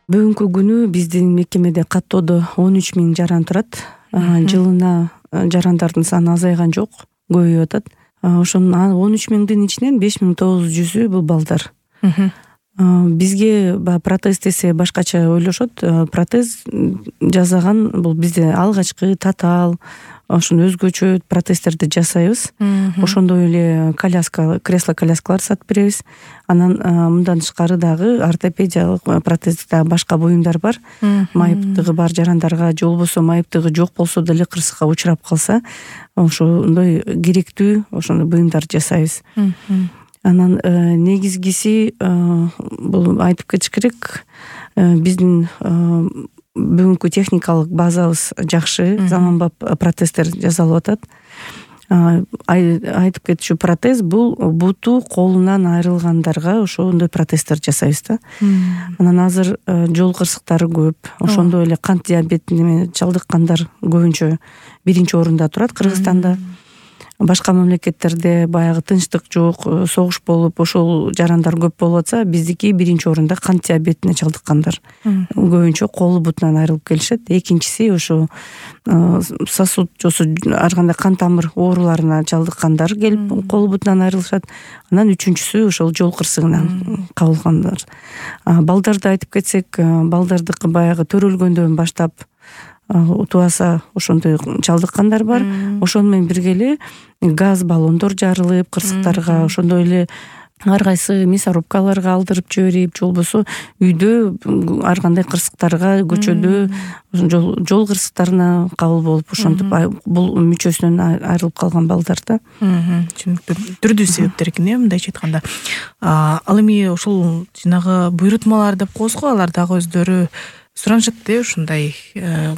Бүгүнкү күнү биздин мекемеде каттоодо 13 000 жаран турат. Жылына жарандардын саны азайган жок, көбөйүп атат. Ошонун 13 000-дин ичинен 5900-ü бул балдар. Бизге баягы протез десе башкача ойлошот. Протез жасаган бул бизде алгачкы татаал, ошону өзгөчө протездерди жасайбыз. Ошондой эле кресло коляскалар сатып беребиз. Анан мындан тышкары дагы ортопедиялык протез дагы башка буюмдар бар. Майыптыгы бар жарандарга же болбосо майыптыгы жок болсо деле кырсыкка учурап калса, ошондой керектүү ошондой буюмдар жасайбыз. Анан негизгиси бул айтып кетиш керек, биздин бүгүнкү техникалык базабыз жакшы, заманбап протездер жасалып атат. Айтып кетчү протез бул буту колунан айрылгандарга ошондой протездер жасайбыз да. Анан азыр жол кырсыктары көп, ошондой эле кант диабетине чалдыккандар көбүнчө биринчи орунда турат Кыргызстанда. Башка мамлекеттерде баягы тынчтык жок, согуш болуп ошол жарандар көп болуп атса, биздики биринчи орунда кант диабетине чалдыккандар. Көбүнчө колу бутунан айрылып келишет. Экинчиси ошо сосуд жосу ар кандай кан тамыр ооруларына чалдыккандар келип колу бутунан айрылышат. Анан үчүнчүсү ошол жол кырсыгынан кабылгандар. Балдарды айтып кетсек, балдардыкы баягы төрөлгөндөн баштап утубаса ошондой чалдыккандар бар. Ошону менен бирге эле газ баллондор жарылып кырсыктарга, ошондой эле ар кайсы мясорубкаларга алдырып жиберип, же болбосо үйдө ар кандай кырсыктарга, көчөдө жол кырсыктарына кабыл болуп, ошентип бул мүчөсүнөн айрылып калган балдар да. Түшүнүктүү. Түрдүү себептер экен, мындайча айтканда. Ал эми ошол жанагы буйрутмалар деп коебуз го, алар дагы өздөрү суранышат ушундай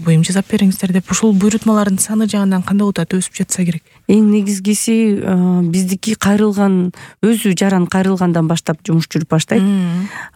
буюм жасап бериңиздер деп. Ошол буйрутмалардын саны жагынан кандай болуп атат, өсүп жатса керек? Эң негизгиси биздики кайрылган, өзү жаран кайрылгандан баштап жумуш жүрүп баштайт.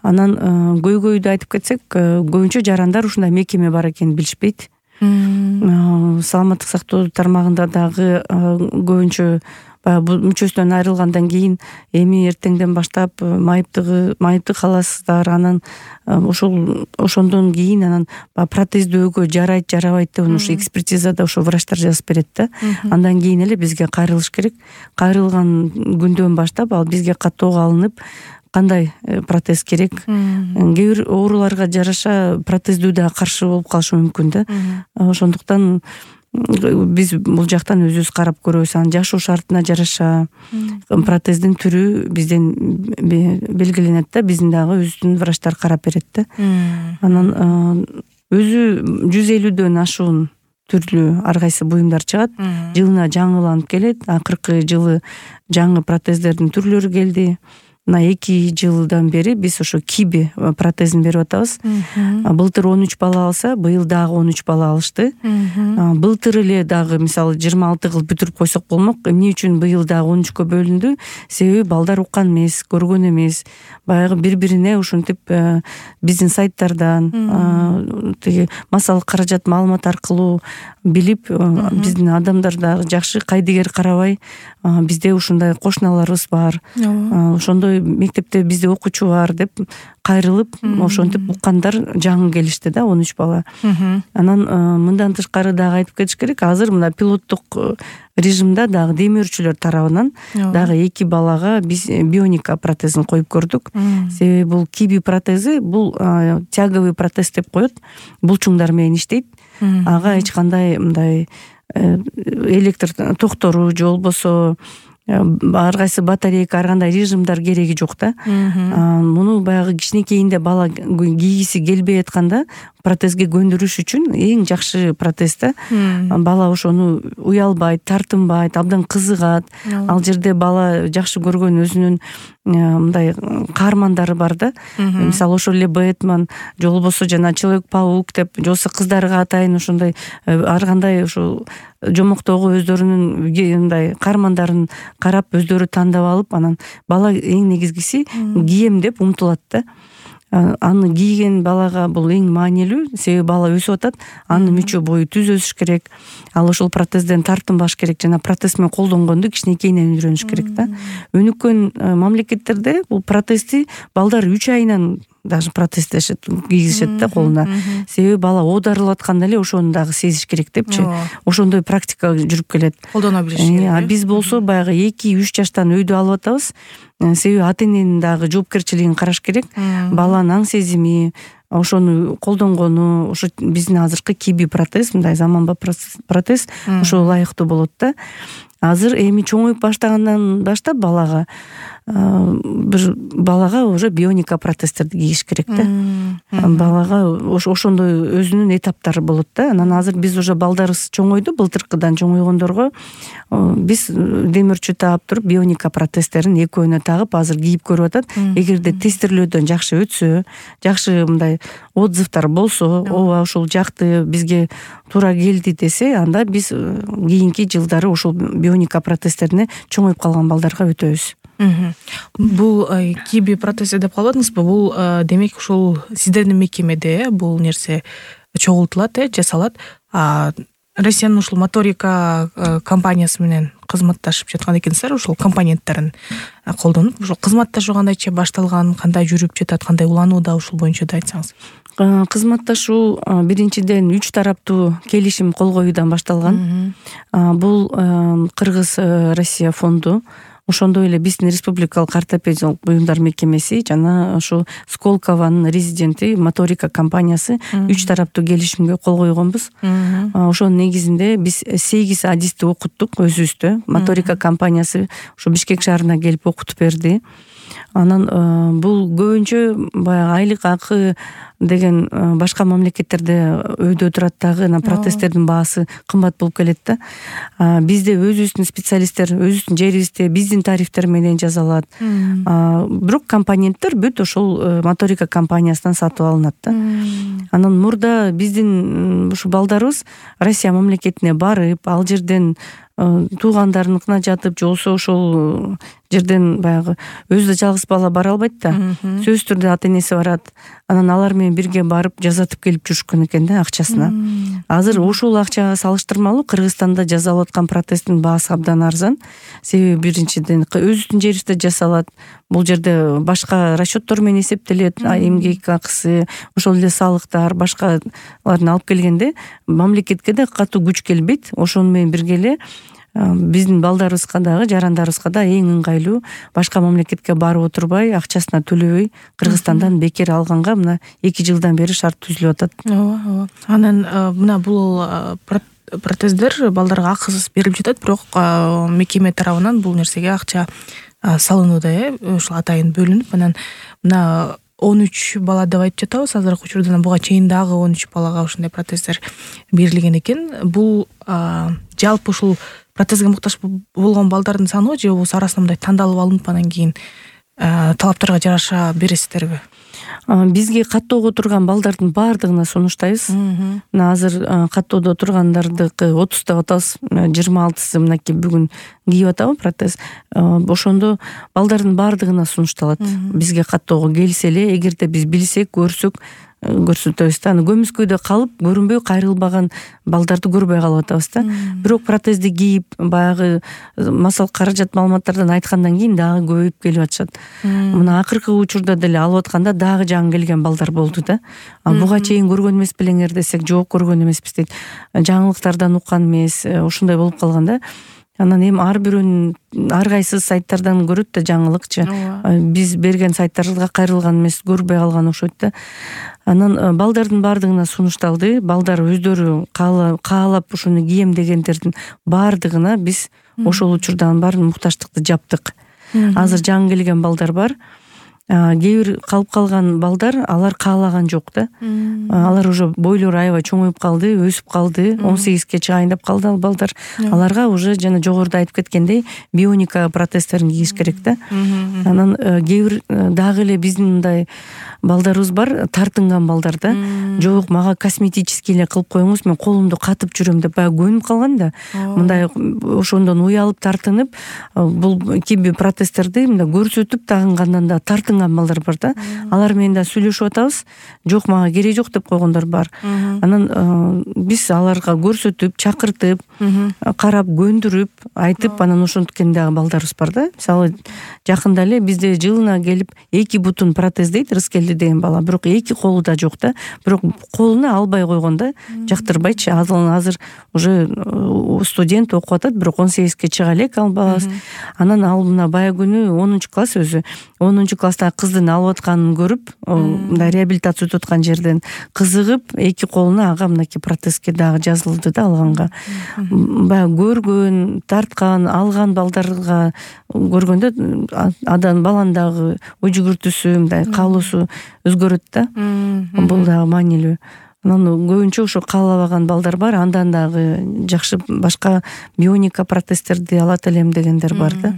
Анан көйгөйдү айтып кетсек, көбүнчө жарандар ушундай мекеме бар экенин билишпейт. Саламаттык сактоо тармагында дагы көбүнчө баягы мүчөсүнөн айрылгандан кийин эми эртеңден баштап майыптык аласыздар, анан ошондон кийин анан протездөөгө жарайт жарабайт деп ошо экспертизада ошо врачтар жазып берет да. Андан кийин эле бизге кайрылыш керек. Кайрылган күндөн баштап ал бизге каттоого алынып, кандай протез керек. Кээ бир ооруларга жараша протездүү да каршы болуп калышы мүмкүн да. Ошондуктан биз бул жактан өзүбүз карап көрөбүз. Анан жашоо шартына жараша протездин түрү бизден белгиленет да, биздин дагы өзүбүздүн врачтар карап берет да. Анан өзү 150дөн ашуун түрлүү ар кайсы буюмдар чыгат. Жылына жаңыланып келет. Акыркы жылы жаңы протездердин түрлөрү келди. Мына 2 жылдан бери биз ошо киби протезин берип атабыз. Былтыр 13 бала алса, быйыл дагы 13 бала алышты. Былтыр эле дагы мисалы 26 кылып бүтүрүп койсок болмок. Эмне үчүн быйыл дагы 13кө бөлүндү? Себеби балдар уккан эмес, көргөн эмес. Баягы бири-бирине ушинтип биздин сайттардан, тиги массалык каражат маалымат аркылуу билип, биздин адамдар дагы жакшы кайдыгер карабай, бизде ушундай кошуналарыбыз бар. Ошондой мектепте бизде окуучу бар деп кайрылып, ошентип уккандар жаңы келишти да, 13 бала. Анан мындан тышкары дагы айтып кетиш керек, азыр мына пилоттук режимде дагы демөөрчүлөр тарабынан дагы 2 балага биз бионика протезин коюп көрдүк. Себеби бул киби протези бул тяговый протез деп коет. Булчуңдар менен иштейт. Ага эч кандай мындай электр токтору же болбосо ар кайсы батарейка, ар кандай режимдар кереги жок да. Муну баягы кичинекейинде бала кийгиси келбей атканда протезге көндүрүш үчүн эң жакшы протез да. Бала ошону уялбайт, тартынбайт, абдан кызыгат. Ал жерде бала жакшы көргөн өзүнүн мындай каармандары бар да. Мисалы ошол эле Бэтмен, же болбосо жана Человек-паук деп, же болбосо кыздарга атайын ошондой ар кандай ошол жомоктогу өздөрүнүн мындай каармандарын карап өздөрү тандап алып, анан бала эң негизгиси кийем деп умтулат да. Аны кийген балага бул эң маанилүү, себеби бала өсүп атат, анын мүчө бою түз өсүш керек. Ал ошол протезден тартынбаш керек, жана протез менен колдонгонду кичинекейинен үйрөнүш керек да. Өнүккөн мамлекеттерде бул протезди балдар 3 айынан даже протез кийгизишет да колуна. Себеби бала оодарылып атканда эле ошону дагы сезиш керек депчи. Ошондой практика жүрүп келет. Колдоно билиш керек. Биз болсо баягы 2-3 жаштан өйдө алып атабыз. Себеби ата эненин дагы жоопкерчилигин караш керек. Баланын аң сезими, ошону колдонгону, ошо биздин азыркы киби протез, мындай заманбап протез ошо ылайыктуу болот да. Азыр эми чоңоюп баштагандан баштап балага уже бионика протездерди кийиш керек да. Балага ошондой өзүнүн этаптары болот да. Анан азыр биз уже балдарыбыз чоңойду, былтыркыдан чоңойгондорго биз демирчү таап туруп бионика протездерин экөөнө тагып азыр кийип көрүп атат. Эгерде тестирлөөдөн жакшы өтсө, жакшы мындай отзывдар болсо, ооба ушул жакты, бизге туура келди десе, анда биз кийинки жылдары ушул бионика протездерине чоңоюп калган балдарга өтөбүз. Бул киби протез деп калбадыңызбы? Бул демек ушул сиздердин мекемеде бул нерсе чогултулат, жасалат. Россиянын ушул моторика компаниясы менен кызматташып жаткан экенсиздер, ушул компоненттерин колдонуп, ушул кызматташуу кандайча башталган, кандай жүрүп жатат, кандай уланууда, ушул боюнча да айтсаңыз. Кызматташуу биринчиден 3 тараптуу келишим кол коюудан башталган. Бул Кыргыз Россия фонду, ошондой эле биздин республикалык ортопедиялык буюмдар мекемеси жана ошо Сколковонун резиденти моторика компаниясы 3 тараптуу келишимге кол койгонбуз. Ошонун негизинде биз 8 адисти окуттук өзүбүздө. Моторика компаниясы ошо Бишкек шаарына келип окутуп берди. Анан бул көбүнчө баягы айлык акы деген башка мамлекеттерде өйдө турат дагы, протездердин баасы кымбат болуп келет да. Бизде өзүбүздүн специалисттер өзүбүздүн жерибизде биздин тарифтер менен жасалат. Бирок компоненттер бүт ошол моторика компаниясынан сатып алынат да. Анан мурда биздин ушу балдарыбыз Россия мамлекетине барып, ал жерден туугандарыныкына жатып, же болбосо ошол жерден баягы өзү жалгыз бала бара албайт да. Сөзсүз түрдө ата энеси барат. Анан алар менен бирге барып жазатып келип жүрүшкөн экен да акчасына. Азыр ошол акчага салыштырмалуу Кыргызстанда жасалып аткан протездин баасы абдан арзан. Себеби биринчиден өзүбүздүн жерибизде жасалат. Бул жерде башка расчеттор менен эсептелет, эмгек акысы, ошол эле салыктар, башкаларын алып келгенде мамлекетке да катуу күч келбейт. Ошону менен бирге эле биздин балдарыбызга дагы, жарандарыбызга да эң ыңгайлуу, башка мамлекетке барып отурбай, акчасына төлөбөй Кыргызстандан бекер алганга мына 2 жылдан бери шарт түзүлүп атат. Ооба. Анан мына бул протездер балдарга акысыз берилип жатат, бирок мекеме тарабынан бул нерсеге акча салынууда, ушул атайын бөлүнүп, анан мына 13 бала деп айтып жатабыз. Азыркы учурда буга чейин дагы 13 балага ушундай протездер берилген экен. Бул жалпы ушул протезге муктаж болгон балдардын саны же болбосо арасынан мындай тандалып алынып анан кийин талаптарга жараша бересиздерби? Бизге каттоого турган балдардын баардыгына сунуштайбыз. Мына азыр каттоодо тургандардыкы 30 деп атабыз, 26сы мынакей бүгүн кийип атабы протез. Ошондо балдардын баардыгына сунушталат. Бизге каттоого келсе эле, эгерде биз билсек, көрсөк, көрсөтөбүз да. Көмүскөйдө калып, көрүнбөй кайрылбаган балдарды көрбөй калып атабыз да. Бирок протезди кийип, баягы масал каражат маалыматтардан айткандан кийин дагы көбөйүп келип атышат. Мына акыркы учурда деле алып атканда дагы жаңы келген балдар болду да. Буга чейин көргөн эмес белеңер десек, жок көргөн эмеспиз дейт. Жаңылыктардан уккан эмес, ушундай болуп калган да. Анан эми ар бирөөнүн ар кайсы сайттардан көрөт да жаңылыкчы. Биз берген сайттарга кайрылган эмес, көрбөй калган окшойт да. Анан балдардын баардыгына сунушталды. Балдар өздөрү каалап ушуну кийем дегендердин баардыгына биз ошол учурдагы баарын мукташтыкты жаптык. Азыр жаңы келген балдар бар. Кээ бир калып калган балдар, алар каалаган жок да. Алар уже бойлору аябай чоңоюп калды, өсүп калды, 18ге чыгайын деп калды ал балдар. Аларга уже жана жогоруда айтып кеткендей бионика протездерин кийиш керек да. Анан кээ бир дагы эле биздин мындай балдарыбыз бар, тартынган балдар да. Жок, мага косметический эле кылып коюңуз, мен колумду катып жүрөм деп баягы көнүп калган да. Мындай ошондон уялып тартынып, бул киби протездерди мындай көрсөтүп тагынгандан да тартын тартынган балдар бар да. Алар менен да сүйлөшүп атабыз. Жок, мага кереги жок деп койгондор бар. Анан биз аларга көрсөтүп, чакыртып, карап, көндүрүп, айтып, анан ошенткен дагы балдарыбыз бар да. Мисалы, жакында эле бизде жылына келип 2 бутун протез дейт, Рыскелди деген бала, бирок 2 колу да жок да. Бирок колуна албай койгон да, жактырбайчы. Азыр уже студент окуп атат, бирок 18-ке чыга элек ал балабыз. Анан ал мына бая күнү 10-класс өзү 10-класстагы кыздын алып атканын көрүп, мындай реабилитация өтүп аткан жерден кызыгып, 2 колуна ага мынакей протезге дагы жазылды да алганга. Баягы көргөн, тарткан, алган балдарга көргөндө баланын дагы ой жүгүртүүсү, мындай каалоосу өзгөрөт да. Бул дагы маанилүү. Анан көбүнчө ошо каалабаган балдар бар, андан дагы жакшы башка бионика протездерди алат элем дегендер бар да.